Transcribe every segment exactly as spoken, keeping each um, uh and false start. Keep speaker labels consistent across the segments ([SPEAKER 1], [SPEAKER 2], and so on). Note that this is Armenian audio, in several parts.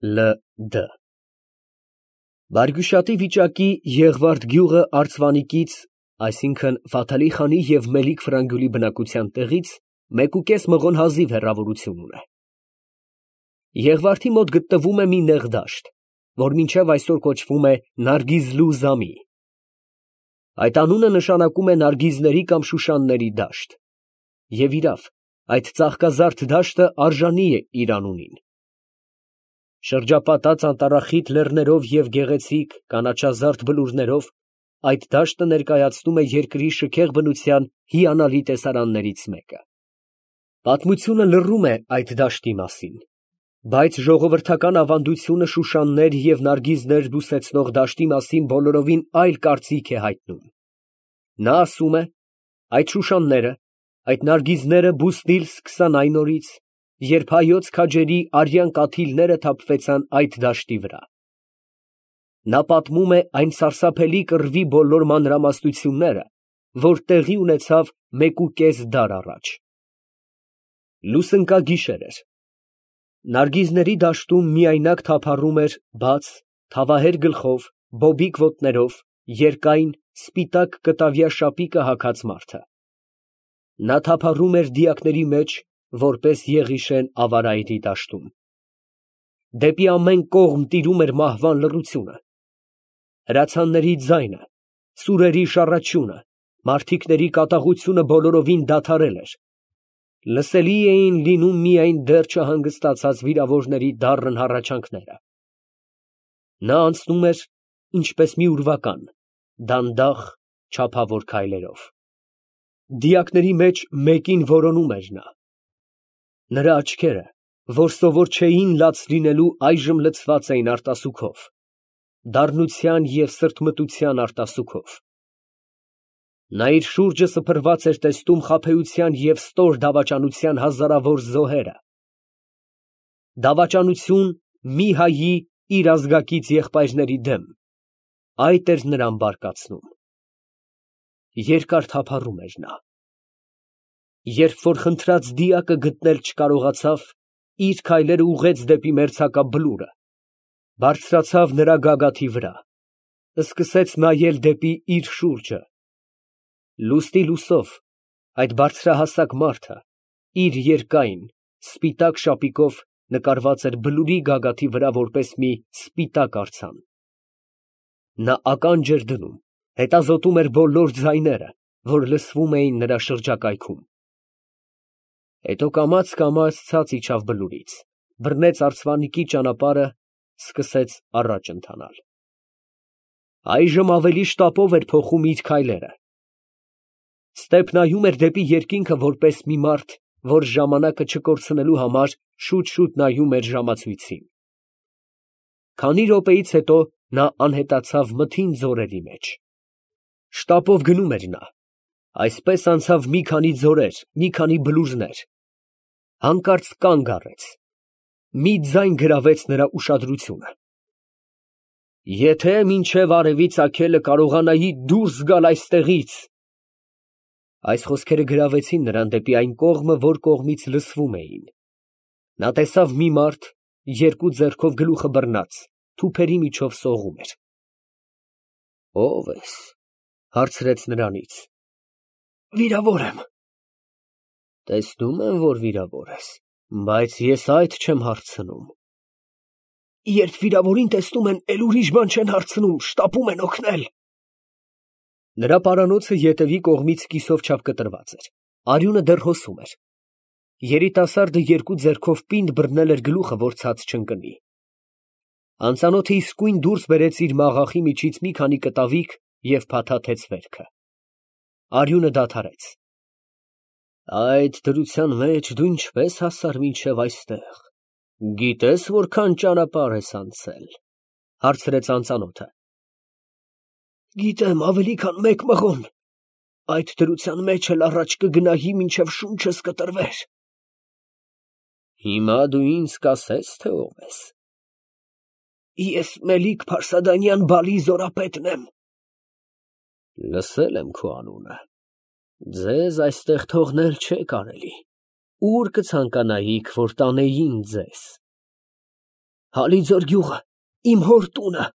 [SPEAKER 1] Լ Դ Բարգուշատի վիճակի Եղվարդ գյուղը Արծվանիկից, այսինքն Ֆաթալի խանի և Մելիք Ֆրանգուլի բնակության տեղից մեկուկես մղոն հազիվ հեռավորություն ունե։ Եղվարդի մոտ գտնվում է մի նեղ դաշտ, որ մինչև այսօր կոչվում է Նարգիզլու Զամի։ Այդ անունը նշանակում է նարգիզների կամ շուշանների դաշտ, և իրավ, այդ ծաղկազարդ դաշտը արժանի է իր անունին։ Շրջապատած անտառախիտ լեռներով և գեղեցիկ կանաչազարդ բլուրներով, այդ դաշտը ներկայացնում է երկրի շքեղ բնության հիանալի տեսարաններից մեկը։ Պատմությունը լռում է այդ դաշտի մասին, բայց ժողովրդական ավանդությունը շուշաններ և նարգիզներ բուսեցնող դաշտի մասին բոլորովին այլ կարծիք է հայտնում։ Նա ասում է. այդ շուշանները, այդ նարգիզները բուսնիլ սկսան այն օրից, երբ հայոց քաջերի արյան կաթիլները թափվեցան այդ դաշտի վրա։ Նա պատմում է այն սարսափելի կռվի բոլոր մանրամասնությունները, որ տեղի ունեցավ մեկուկես դար առաջ։ Լուսնկագիշեր էր։ Նարգիզների դաշտում միայնակ թափառում էր բաց, թավահեր գլխով, բոբիկ ոտներով, երկայն, սպիտակ կտավյա շապիկը հագած մարդը։ Նա թափառում էր դիակների մեջ, որպես Եղիշեն ավարայրի դաշտում։ Դեպի ամեն կողմ տիրում էր մահվան լռությունը։ Հրացանների ձայնը, սուրերի շառաչյունը, մարդիկների կատաղությունը բոլորովին դադարել էր։ Լսելի էին լինում միայն դեռ չհանգստացած վիրավորների դառն հառաչանքները։ Նա անցնում էր, ինչպես մի ուրվական, դանդաղ, չափավոր քայլերով։ Դիակների մեջ մեկին որոնում էր նա։ Նրա աչքերը, որ սովոր չէին լաց լինելու, այժմ լցված էին արտասուքով, դառնության և սրտմտության արտասուքով։ Նա իր շուրջը սփռված էր տեսնում խաբեության և ստոր դավաճանության հազարավոր զոհերը։ Դավաճանություն մի հայի իր ազգակից եղբայրների դեմ, այդ էր նրան բարկացնում։ Երկար թափառում էր նա։ Երբ որ խնդրած դիակը գտնել չկարողացավ, իր քայլերը ուղղեց դեպի մերձակա բլուրը, բարձրացավ նրա գագաթի վրա, սկսեց նայել դեպի իր շուրջը։ Լուսնի լուսով այդ բարձրահասակ մարդը իր երկայն, սպիտակ շապիկով նկարված էր բլուրի գագաթի վրա որպես մի սպիտակ արձան։ Նա ականջ էր դնում, հետազոտում էր բոլոր ձայները, որ լսվում էին նրա շրջակայքում։ Հետո կամաց֊կամաց ցած իջավ բլուրից, բռնեց արծվանիկի ճանապարհը, սկսեց առաջ ընթանալ։ Այժմ ավելի շտապով էր փոխում իր քայլերը։ Ստեպ նայում էր դեպի երկինքը որպես մի մարդ, որ ժամանակը չկորցնելու համար շուտ֊շուտ նայում էր ժամացույցին։ Քանի րոպեից հետո նա անհետացավ մթին ձորերի մեջ։ Շտապով գնում էր նա, այսպես անցավ մի քանի ձորեր, մի քանի բլուրներ, հանկարծ կանգ առեց։ Մի ձայն գրավեց նրա ուշադրությունը։ Եթե մինչև արևի ծագելը կարողանայի դուրս գալ այստեղից… Այս խոսքերը գրավեցին նրան դեպի այն կողմը, որ կողմից լսվում էին։ Նա տեսավ մի մարդ, երկու ձեռքով գլուխը բռնած, թուփերի միջով սողում էր։ Ո՞վ ես, հարցրեց նրանից։ Վիրավոր եմ։ Տեսնում եմ, որ վիրավոր ես, բայց ես այդ չեմ հարցնում։ Երբ վիրավորին տեսնում են, էլ ուրիշ բան չեն հարցնում, շտապում են օգնել։ Նրա պարանոցը ետևի կողմից կիսով չափ կտրված էր, արյունը դեռ հոսում էր։ Երիտասարդը երկու ձեռքով պինդ բռնել էր գլուխը, որ ցած չընկնի։ Անծանոթը իսկույն դուրս բերեց իր մաղախի միջից մի քանի կտավիկ և փաթաթեց վերքը։ Արյունը դադարեց։ Այդ դրության մեջ դու ինչպես հասար մինչև այստեղ, գիտե՞ս որքան ճանապարհ ես անցել, հարցրեց անծանոթը։ Գիտեմ, ավելի քան մեկ մղոն, այդ դրության մեջ էլ առաջ կգնայի, մինչև շունչս կտրվեր։ Հիմա դու ինձ կասես, թե ով ես։ Ես Մելիք Փարսադանյան Բալի զորապետն եմ։ Լսել եմ քո անունը։ Ձեզ այստեղ թողնել չէ կարելի։ Ուր կցանկանայիք, որ տանեին ձեզ։ Հալիձոր գյուղը, իմ հոր տունը։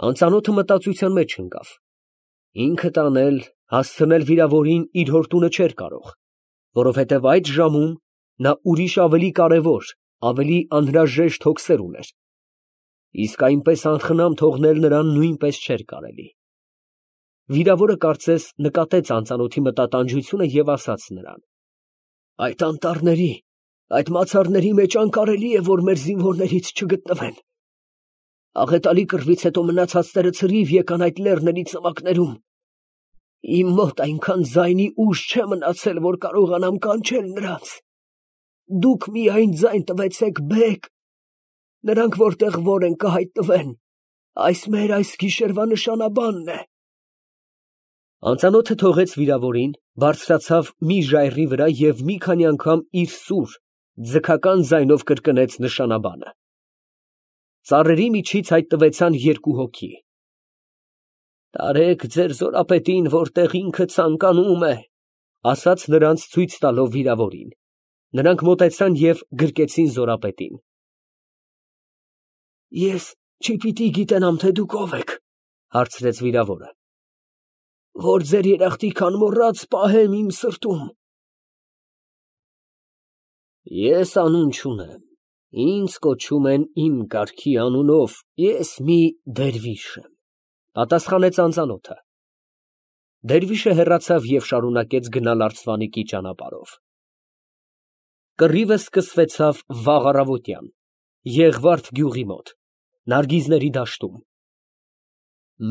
[SPEAKER 1] Անծանոթը մտածության մեջ ընկավ։ Ինքը տանել, հասցնել վիրավորին իր հոր տունը չէր կարող, որովհետև այդ ժամում նա ուրիշ ավելի կարևոր, ավելի անհրաժեշտ հոգսեր ուներ, իսկ այնպես անխնամ թողնել նրան նույնպես չէր կարելի։ Վիրավորը կարծես նկատեց անծանոթի մտատանջությունը և ասաց նրան. «Այդ անտառների, այդ մացառների մեջ անկարելի է, որ մեր զինվորներից չգտնվեն։ Աղետալի կռվից հետո մնացածները ցրիվ եկան այդ լեռների ծվակներում։ Իմ մոտ այնքան ձայնի ուժ չէ մնացել, որ կարողանամ կանչել նրանց։ Դուք միայն ձայն տվեցեք, բեգ։ Նրանք որտեղ որ են կհայտնվեն, այս մեր այս գիշերվա նշանաբանն է»։ Անծանոթը թողեց վիրավորին, բարձրացավ մի ժայռի վրա և մի քանի անգամ իր սուր, ձգական ձայնով կրկնեց նշանաբանը։ Ծառերի միջից հայտնվեցան երկու հոգի։ «Տարեք ձեր զորապետին, որտեղ ինքը ցանկանում է», ասաց նրանց ցույց տալով վիրավորին։ Նրանք մոտեցան և գրկեցին զորապետին։ «Ես չպիտի գիտենամ, թե դուք ով եք, ֊ հարցրեց վիրավորը, ֊ որ ձեր երախտիքան մոռաց պահեմ իմ սրտում»։ «Ես անուն չունեմ, ինձ կոչում են իմ կարգի անունով, ես մի դերվիշ եմ, ֊ պատասխանեց անծանոթը։ Դերվիշը հեռացավ և շարունակեց գնալ արծվանիկի ճանապարհով։ Կռիվը սկսվեցավ վաղ առավոտյան, Եղվարդ գյուղի մոտ, նարգիզների դաշտում։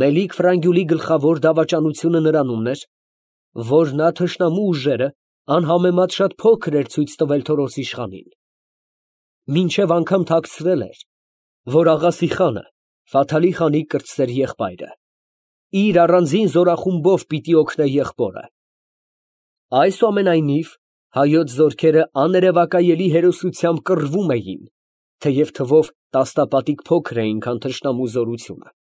[SPEAKER 1] Մելիք֊Ֆրանգյուլի գլխավոր դավաճանությունը նրանումն էր, որ նա թշնամու ուժերը անհամեմատ շատ փոքր էր ցույց տվել Թորոս իշխանին։ Մինչև անգամ թաքցրել էր, որ Աղասի խանը, Ֆաթալի խանի կրտսեր եղբայրը, իր առանձին զորախումբով պիտի օգնե եղբորը։ Այսուամենայնիվ, հայոց զորքերը աներևակայելի հերոսությամբ կռվում էին, թեև թվով տասնապատիկ փոքր էին, քան թշնամու զորությունը։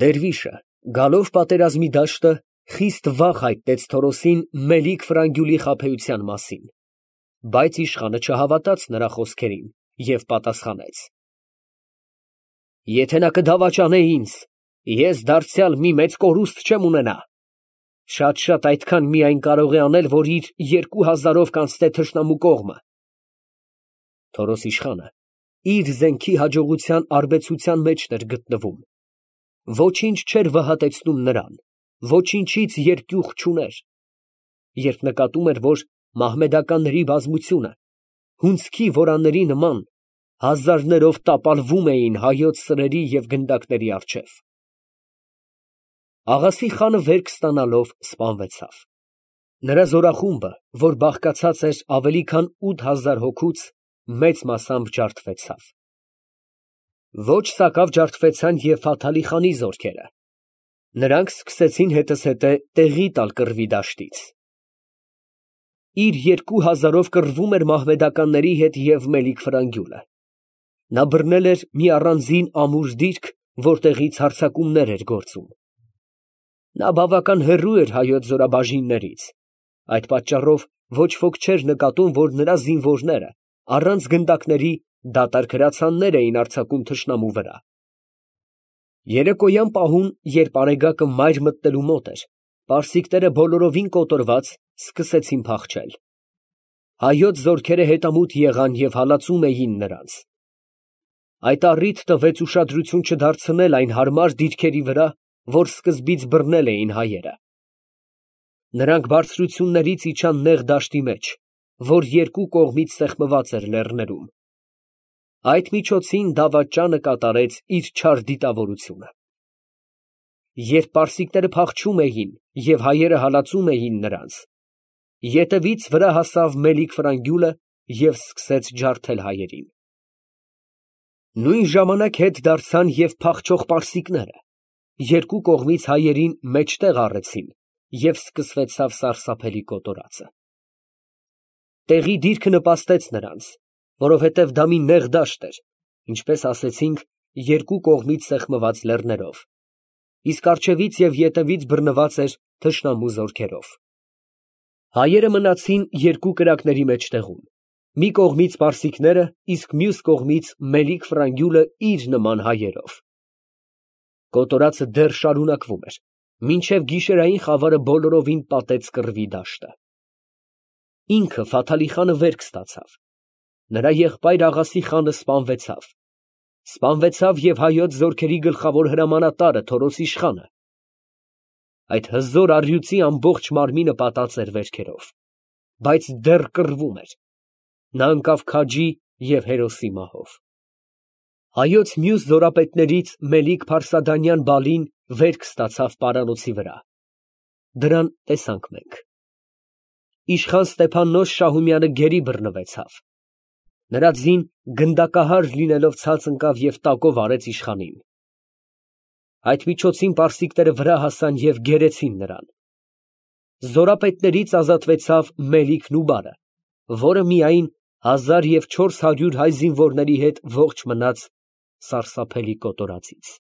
[SPEAKER 1] Դերվիշը, գալով պատերազմի դաշտը, խիստ վախ հայտնեց Թորոսին Մելիք֊Ֆրանգյուլի խաբեության մասին, բայց իշխանը չհավատաց նրա խոսքերին և պատասխանեց. «Եթե նա կդավաճանե ինձ, ես դարձյալ մի մեծ կորուստ չեմ ունենա. շատ֊շատ այդքան միայն կարող է անել, որ իր երկու հազարով կանցնե թշնամու կողմը»։ Թորոս իշխանը իր զենքի հաջողության արբեցության մեջն էր գտնվում, ոչինչ չէր վհատեցնում նրան, ոչինչից երկյուղ չուներ։ Երբ նկատում էր, որ մահմեդականների բազմությունը հունձքի որանների նման հազարներով տապալվում էին հայոց սրերի և գնդակների առջև։ Աղասի խանը վերք ստանալով սպանվեցավ։ Նրա զորախումբը, որ բաղկացած էր ավելի քան ութ հազար հոգուց, մեծ մասամբ ջարդվեցավ։ Ոչ սակավ ջարդվեցան և Ֆաթալի խանի զորքերը։ Նրանք սկսեցին հետզհետե տեղի տալ կռվի դաշտից։ Իր երկու հազարով կռվում էր մահմեդականների հետ և Մելիք֊Ֆրանգյուլը։ Նա բռնել էր մի առանձին ամուր դիրք, որտեղից հարձակումներ էր գործում։ Նա բավական հեռու էր հայոց զորաբաժիններից, այդ պատճառով ոչ ոք չէր նկատում, որ նրա զինվորները առանց գնդակների դատարկ հրացաններ էին արձակում թշնամու վրա։ Երեկոյան պահուն, երբ արեգակը մայր մտնելու մոտ էր, պարսիկները բոլորովին կոտորված սկսեցին փախչել։ Հայոց զորքերը հետամուտ եղան և հալածում էին նրանց։ Այդ առիթ տվեց ուշադրություն չդարձնել այն հարմար դիրքերի վրա, որ սկզբից բռնել էին հայերը։ Նրանք բարձրություններից իջան նեղ դաշտի մեջ, որ երկու կողմից սեղմված էր լեռներում։ Այդ միջոցին դավաճանը կատարեց իր չար դիտավորությունը։ Երբ պարսիկները փախչում էին և հայերը հալածում էին նրանց, ետևից վրա հասավ Մելիք֊Ֆրանգյուլը և սկսեց ջարդել հայերին։ Նույն ժամանակ հետ դարձան և փախչող պարսիկները, երկու կողմից հայերին մեջտեղ առեցին և սկսվեցավ սարսափելի կոտորածը։ Տեղի դիրքը նպաստեց նրանց, որովհետև դա մի նեղ դաշտ էր, ինչպես ասեցինք, երկու կողմից սեղմված լեռներով, իսկ առջևից և ետևից բռնված էր թշնամու զորքերով։ Հայերը մնացին երկու կրակների մեջտեղում, Մի կողմից պարսիկները, իսկ մյուս կողմից Մելիք֊Ֆրանգյուլը իր նման հայերով։ Կոտորածը դեռ շարունակվում էր, մինչև գիշերային խավարը բոլորովին պատեց կռվի դաշտը։ Ինքը Ֆաթալի խանը վերք ստացավ, նրա եղբայր Աղասի խանը սպանվեցավ, սպանվեցավ և հայոց զորքերի գլխավոր հրամանատարը Թորոս իշխանը, այդ հզոր առյուծի ամբողջ մարմինը պատած էր վերքերով, բայց դեռ կռվում էր, նա ընկավ քաջի և հերոսի մահով։ Հայոց մյուս զորապետներից Մելիք-Փարսադանյան Բալին վերք ստացավ պարանոցի վրա, դրան տեսանք մենք։ Իշխան Ստեփաննոս Շահումյանը գերի բռնվեցավ, նրա ձին գնդակահար լինելով ցած ընկավ և տակով արեց իշխանին։ Այդ միջոցին պարսիկները վրա հասան և գերեցին նրան։ Զորապետներից ազատվեցավ Մելիք Նուբարը, որը միայն հազար և չորս հարյուր հայ զինվորների հետ ողջ մնաց սարսափելի կոտորածից։